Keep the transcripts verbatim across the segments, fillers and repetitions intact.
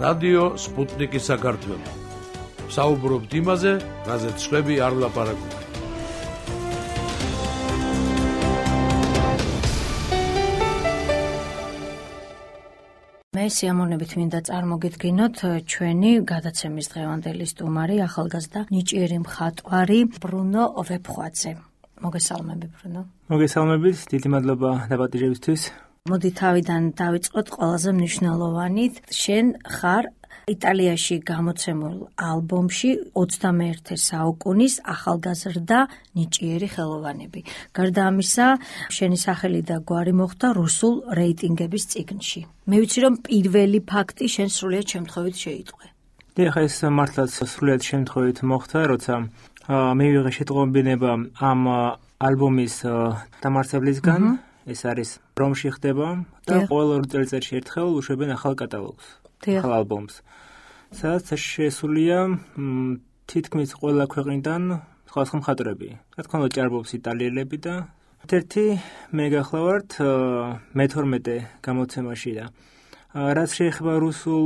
რადიო სპუტნიკი საქართველო. საუბრობთ იმაზე, რაზეც სხვები არ ლაპარაკობენ. მე სიამოვნებით მინდა წარმოგიდგინოთ ჩვენი გადაცემის დღევანდელი სტუმარი, ახალგაზრდა ნიჭიერი მხატვარი ბრუნო ვეფხვაძე. მოგესალმები ბრუნო. მოგესალმებით, დიდი მადლობა დაპატიჟებისთვის. მოდი თავიდან დავიწყოთ ყველაზე მნიშვნელოვანით. შენ ხარ იტალიაში გამოცემულ ალბომში ოცდამეერთე საუკუნის ახალგაზრდა ნიჭიერი ხელოვანები. გარდა ამისა, შენი სახელი და გვარი მოხვდა რუსულ რეიტინგების წიგნში. მე ვიცი, რომ პირველი ფაქტი შენ სრულიად შემთხვევით შეიტყვე. დიახ, ეს მართლაც სრულიად შემთხვევით მოხდა, როცა მე ვიღე შეტყობინება ამ ალბომის დამარცხებლისგან. ეს არის რომში ხდება და ყოველ ორი წელიწადში ერთხელ უშვებენ ახალ კატალოგს, ახალ ალბომს. სადაც შესულია თითქმის ყველა ქვეყნიდან სხვადასხვა მხატვრები. რა თქმა უნდა, ჭარბობს იტალიელები და ერთ-ერთი მე გახლავართ მეთორმეტე გამოცემაში და რაც შეეხება რუსულ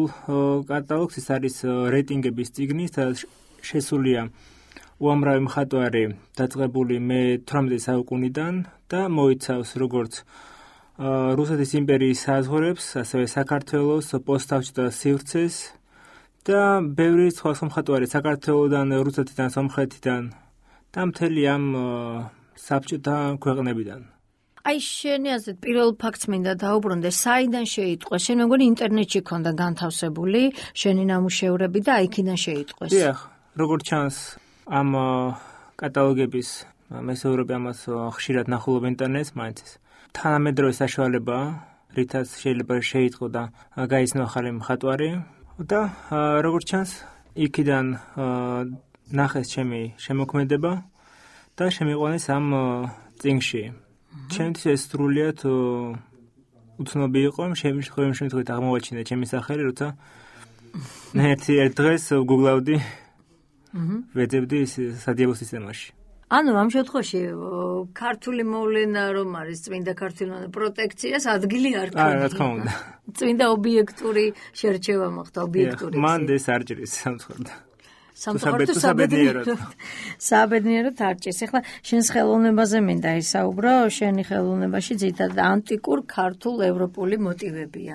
კატალოგს, ეს არის რეიტინგების წიგნი, სადაც შესულია უამრავი მხატვარი დაწყებული მეთვრამეტე საუკუნიდან და მოიცავს როგორც რუსეთის იმპერიის საზღვრებს, ასევე საქართველოს პოსტსაბჭოთა სივრცეს და ბევრი სხვა მხატვარი საქართველოდან, რუსეთიდან, სომხეთიდან და მთელი ამ საბჭოთა ქვეყნებიდან. აი შენი აზრით პირველ ფაქტს მინდა დაუბრუნდე, საიდან შეიტყვეს? შენ მეგონი ინტერნეტში ქონდა განთავსებული შენი ნამუშევრები და აიქიდან შეიტყვეს. დიახ, როგორც ჩანს ამ კატალოგების მესეურები ამას ხშირად ნახულობენ ინტერნეტს, მაინც ეს თანამედროვე საშუალება, რითაც შეიძლება შეიტყო და გაიცნო ახალი მხატვარი და როგორც ჩანს, იქიდან ნახეს ჩემი შემოქმედება და შემიყვანეს ამ წიგნში. ჩემთვის ეს სრულიად უცნობი იყო, შემთხვევით შემთხვევით აღმოვაჩინე ჩემი სახელი, როცა ერთი ერთ დღეს გუგლავდი ვეძებდი სადიაბო სისტემაში. ანუ ამ შემთხვევაში ქართული მოვლენა რომ არის წმინდა ქართული პროტექციას ადგილი არ ქონია. არა, რა თქმა უნდა. წმინდა ობიექტური შერჩევა მოხდა, ობიექტური. მან ეს არ ჭრის სამწუხაროდ. სამწუხაროდ საბედნიეროდ. საბედნიეროდ არ ჭრის. ეხლა შენს ხელოვნებაზე მინდა ისაუბრო, შენი ხელოვნებაში ძირითადად ანტიკურ ქართულ ევროპული მოტივებია.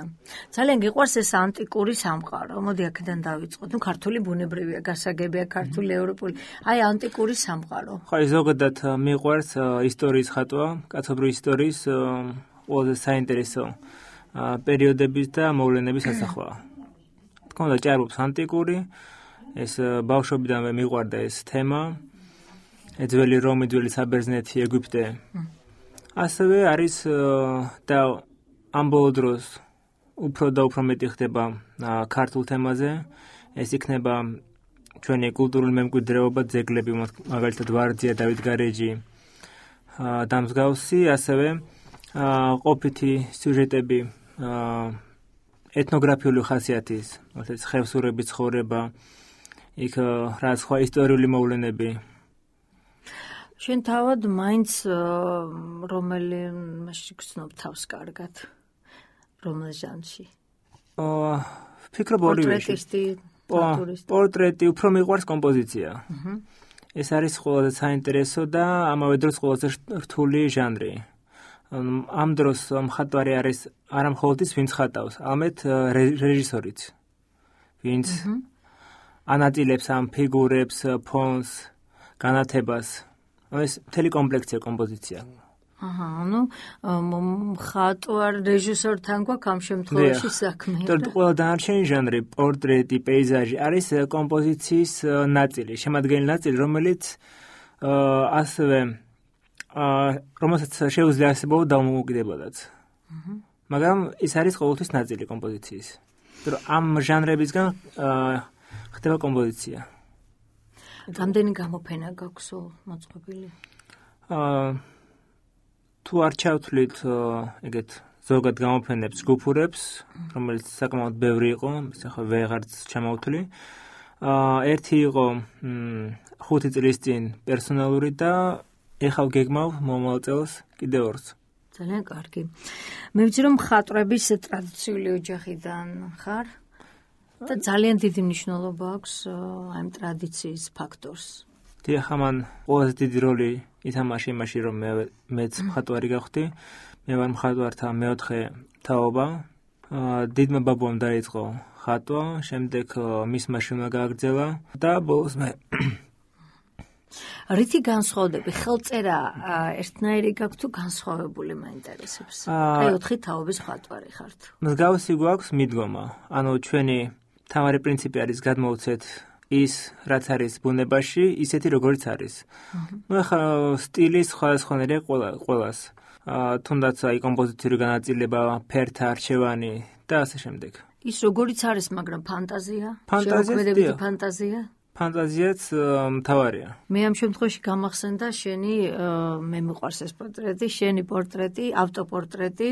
ძალიან გიყვარს ეს ანტიკური სამყარო. მოდი აქედან დავიწყოთ. ნუ ქართული ბუნებრივია, გასაგებია ქართული ევროპული. აი ანტიკური სამყარო. ხო, ზოგადად მიყვარს ისტორიის ხატვა, კაცობრიობის ისტორიის ყველაზე საინტერესო პერიოდების და მოვლენების ასახვა. თქო და ჭარბობს ანტიკური ეს ბავშვობიდანვე მიყვარდა ეს თემა, ძველი რომი, ძველი საბერძნეთი, ეგვიპტე. ასევე არის და ამ ბოლო დროს უფრო და უფრო მეტი ხდება ქართულ თემაზე. ეს იქნება ჩვენი კულტურული მემკვიდრეობა, ძეგლები, მაგალითად ვარძია, დავით გარეჯი და მსგავსი, ასევე ყოფითი სიუჟეტები ეთნოგრაფიული ხასიათის, თუმცა ხევსურების ცხოვრება, იქ რა სხვა ისტორიული მოვლენები. შენ თავად მაინც რომელი მასში გრძნობ თავს კარგად? რომელ ჟანრში? აა, ვფიქრობ ორივეში. პორტრეტისტი, პორტრეტი, უფრო მიყვარს კომპოზიცია. ეს არის ყველაზე საინტერესო და ამავე დროს ყველაზე რთული ჟანრი. ამ დროს მხატვარი არის არა მხოლოდ ის, ვინც ხატავს, არამედ რეჟისორიც, ვინც ანაწილებს ამ ფიგურებს, ფონს, განათებას. ეს მთელი კომპლექსია კომპოზიცია. აჰა, ანუ მხატვარ რეჟისორთან გვაქვს ამ შემთხვევაში საქმე. და ყველა დანარჩენი ჟანრი, პორტრეტი, პეიზაჟი არის კომპოზიციის ნაწილი, შემადგენელი ნაწილი, რომელიც ასევე რომელსაც შეუძლია არსებობა დამოუკიდებლადაც. მაგრამ ის არის ყოველთვის ნაწილი კომპოზიციის. ამ ჟანრებისგან ხდება კომპოზიცია. რამდენი გამოფენა გაქვს მოწყობილი? აა თუ არ ჩავთვლით ეგეთ ზოგად გამოფენებს, ჯგუფურებს, რომელიც საკმაოდ ბევრი იყო, ეს ახლა ვეღარც ჩამოვთვლი. აა ერთი იყო ხუთი წლის წინ პერსონალური და ეხლა გეგმავ მომავალ წელს კიდევ ორს. ძალიან კარგი. მე ვიცი რომ მხატვრების ტრადიციული ოჯახიდან ხარ? და ძალიან დიდი მნიშვნელობა აქვს ამ ტრადიციის ფაქტორს. დიახ, ამან ყველაზე დიდი როლი ითამაშა იმაში, რომ მე მეც მხატვარი გავხდი. მე ვარ მხატვართა მეოთხე თაობა. დიდმა ბაბუამ დაიწყო ხატვა, შემდეგ მისმა შვილმა გააგრძელა და ბოლოს მე. რითი განსხვავდები? ხელწერა ერთნაირი გაქვს თუ განსხვავებული მაინტერესებს? აი ოთხი თაობის მხატვარი ხართ. მსგავსი გვაქვს მიდგომა. ანუ ჩვენი თავარი პრინციპი არის გადმოვცეთ ის, რაც არის ბუნებაში, ისეთი როგორიც არის. ნუ ახლა სტილი სხვადასხვანაირია ყველას. თუნდაც აი კომპოზიციური განაწილება, ფერთა არჩევანი და ასე შემდეგ. ის როგორიც არის, მაგრამ ფანტაზია? ფანტაზია. ფანტაზია? ფანტაზიაც მთავარია. მე ამ შემთხვევაში გამახსენდა შენი, მე მიყვარს ეს პორტრეტი, შენი პორტრეტი, ავტოპორტრეტი,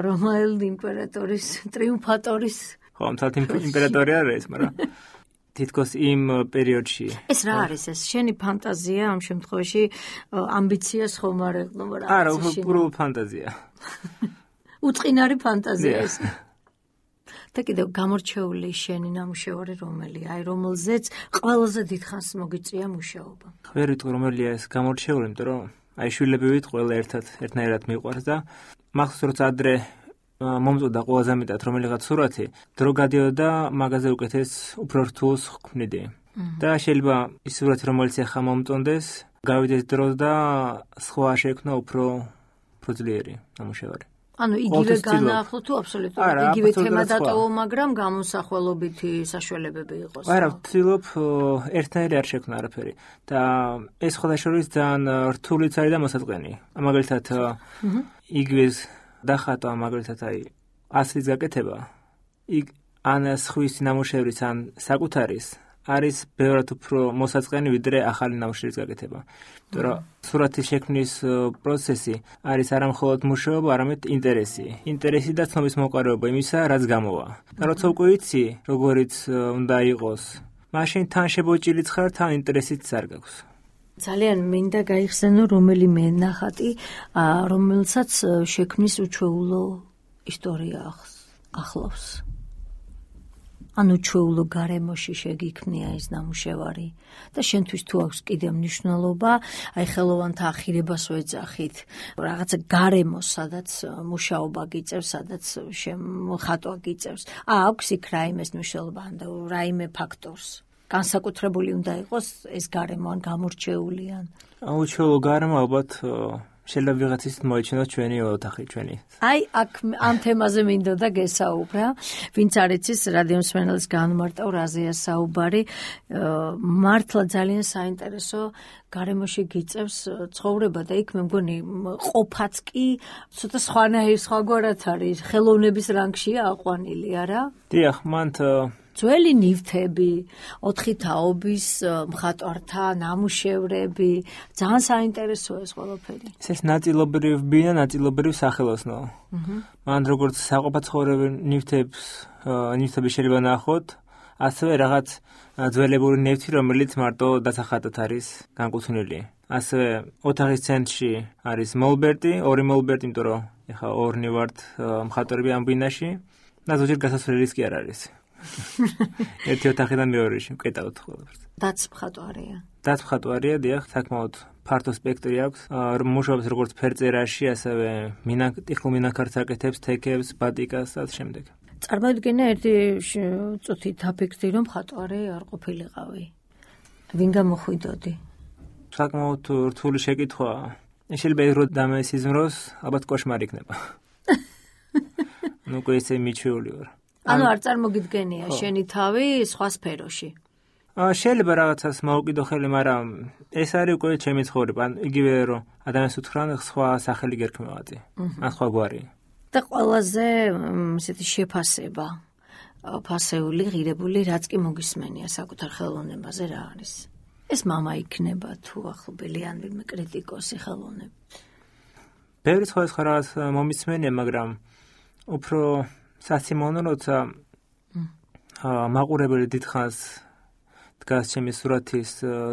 რომაელ იმპერატორის, ტრიუმფატორის. ხო, მთლად იმპერატორი არის, მაგრამ თითქოს იმ პერიოდში. ეს რა არის ეს? შენი ფანტაზია ამ შემთხვევაში ამბიციას ხომ არ ეყნობა რა? არა, უბრალოდ ფანტაზია. უწყინარი ფანტაზია ეს. და კიდევ გამორჩეული შენი ნამუშევარი რომელია? აი რომელზეც ყველაზე დიდხანს მოგიწია მუშაობა. ვერ ვიტყვი რომელია ეს გამორჩეული, იმიტომ რომ აი შვილები ვით ყველა ერთად ერთნაირად მიყვარს და მახსოვს როცა ადრე მომწოდა ყველაზე მეტად რომელიღაც სურათი, დრო გადიოდა მაღაზიაზე უკეთეს უფრო რთულს ხვქვნიდი. და შეიძლება ის სურათი რომელიც ახლა მომწონდეს, გავიდეს დრო და სხვა შეექმნა უფრო უფრო ძლიერი ნამუშევარი. ანუ იგივე განაახლო თუ აბსოლუტურად იგივე თემა დატოვო, მაგრამ გამოსახველობითი საშუალებები იყოს. არა, ვცდილობ ერთნაირი არ შექმნა არაფერი და ეს ხოდაშორის ძალიან რთულიც არის და მოსაწყენი. მაგალითად იგივეს დახატვა, მაგალითად აი ასლის გაკეთება, იქ ან სხვის ნამუშევრის ან საკუთარის არის ბევრად უფრო მოსაწყენი ვიდრე ახალი ნამუშევრის გაკეთება. იმიტომ რომ სურათის შექმნის პროცესი არის არა მხოლოდ მუშაობა, არამედ ინტერესი. ინტერესი და ცნობის მოყარება იმისა, რაც გამოვა. და როცა უკვე იცი, როგორიც უნდა იყოს, მაშინ თან შებოჭილიც ხარ, თან ინტერესიც არ გაქვს. ძალიან მინდა გაიხსენო რომელიმე ნახატი, რომელსაც შექმნის უჩვეულო ისტორია ახლავს. ანუ ჩვეულო გარემოში შეგიქმნია ეს ნამუშევარი და შენთვის თუ აქვს კიდევ მნიშვნელობა, აი ხელოვანთა ახირებას ვეძახით, რაღაცა გარემოს, სადაც მუშაობა გიწევს, სადაც ხატვა გიწევს. აქვს იქ რაიმეს მნიშვნელობა, ან რაიმე ფაქტორს. განსაკუთრებული უნდა იყოს ეს გარემო, ან გამორჩეული ან. უჩვეულო გარემო ალბათ შეიძლება ვიღაცის მოეჩინოს ჩვენი ოთახი, ჩვენი. აი, აქ ამ თემაზე მინდოდა გესაუბრა, ვინც არ იცის რადიო მსმენელს განმარტავ რაზეა საუბარი. მართლა ძალიან საინტერესო გარემოში გიწევს ცხოვრება და იქ მე მგონი ყოფაც კი ცოტა სხვანაირ სხვაგვარად არის, ხელოვნების რანგშია აყვანილი, არა? დიახ, მანდ ძველი ნივთები, ოთხი თაობის მხატვართა ნამუშევრები, ძალიან საინტერესოა ეს ყველაფერი. ეს ნაწილობრივ ბინა, ნაწილობრივ სახელოსნო. მან როგორც საყოფაცხოვრებელ ნივთებს, ნივთები შეიძლება ნახოთ, ასევე რაღაც ძველებური ნივთი, რომელიც მარტო დასახატად არის განკუთვნილი. ასევე ოთახის ცენტრში არის მოლბერტი, ორი მოლბერტი, იმიტომ რომ ეხა ორნი ვართ მხატვრები ამ ბინაში და ზოგჯერ გასასვლელის კი არ არის. ერთი ოთახიდან მეორეში ვკეტავთ ყველაფერს. დაც მხატვარია. დაც მხატვარია, დიახ, საკმაოდ ფართო სპექტრი აქვს. მუშაობს როგორც ფერწერაში, ასევე ტიხულ მინაქარts აკეთებს, თექებს, ბატიკას და შემდეგ. წარმოვიდგინე ერთი წუთი დაფიქრდი, რომ მხატვარი არ ყოფილიყავი. ვინ გამოხვიდოდი? საკმაოდ რთული შეკითხვაა. შეიძლება ის რო დამესიზმროს, ალბათ კოშმარი იქნება. ნუ უკვე ესე მიჩვეული ვარ. ანუ არ წარმოგიდგენია შენი თავი სხვა სფეროში. აა შეიძლება რაღაცას მოვუკიდო ხელი, მაგრამ ეს არის უკვე ჩემი ცხოვრება. ან იგივე რომ ადამიანს უთხრან სხვა სახელი გერქმევადი. ან სხვა გვარი. და ყველაზე ესეთი შეფასება, ფასეული, ღირებული, რაც კი მოგისმენია საკუთარ ხელოვნებაზე რა არის. ეს მამა იქნება თუ ახლობელი ან ვინმე კრიტიკოსი ხელოვნების. ბევრი სხვადასხვა რაღაც მომისმენია, მაგრამ უფრო სასიმონო, როცა მაყურებელი დიდხანს დგას ჩემი სურათის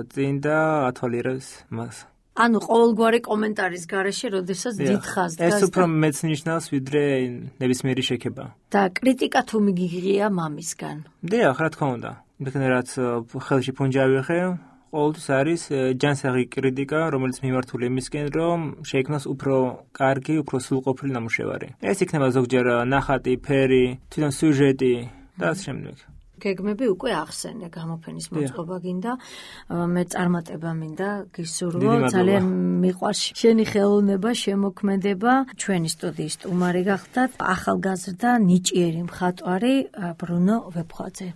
წინ და ათვალიერებს მას. ანუ ყოველგვარი კომენტარის გარეშე, როდესაც დიდხანს დგას. ეს უფრო მეც ნიშნავს, ვიდრე ნებისმიერი შექება. და კრიტიკა თუ მიგიღია მამისგან. დიახ, რა თქმა უნდა. იმდენ რაც ხელში ფუნჯი ვიღე, ყოველთვის არის ჯანსაღი კრიტიკა, რომელიც მიმართული იმისკენ, რომ შეიქმნას უფრო კარგი, უფრო სრულყოფილი ნამუშევარი. ეს იქნება ზოგჯერ ნახატი, ფერი, თვითონ სიუჟეტი და ასე შემდეგ. გეგმები უკვე ახსენე, გამოფენის მოწყობა გინდა, მე წარმატება მინდა გისურვო, ძალიან მიყვარს შენი ხელოვნება, შემოქმედება, ჩვენი სტუდიის სტუმარი გახდათ, ახალგაზრდა ნიჭიერი მხატვარი ბრუნო ვეფხვაძე.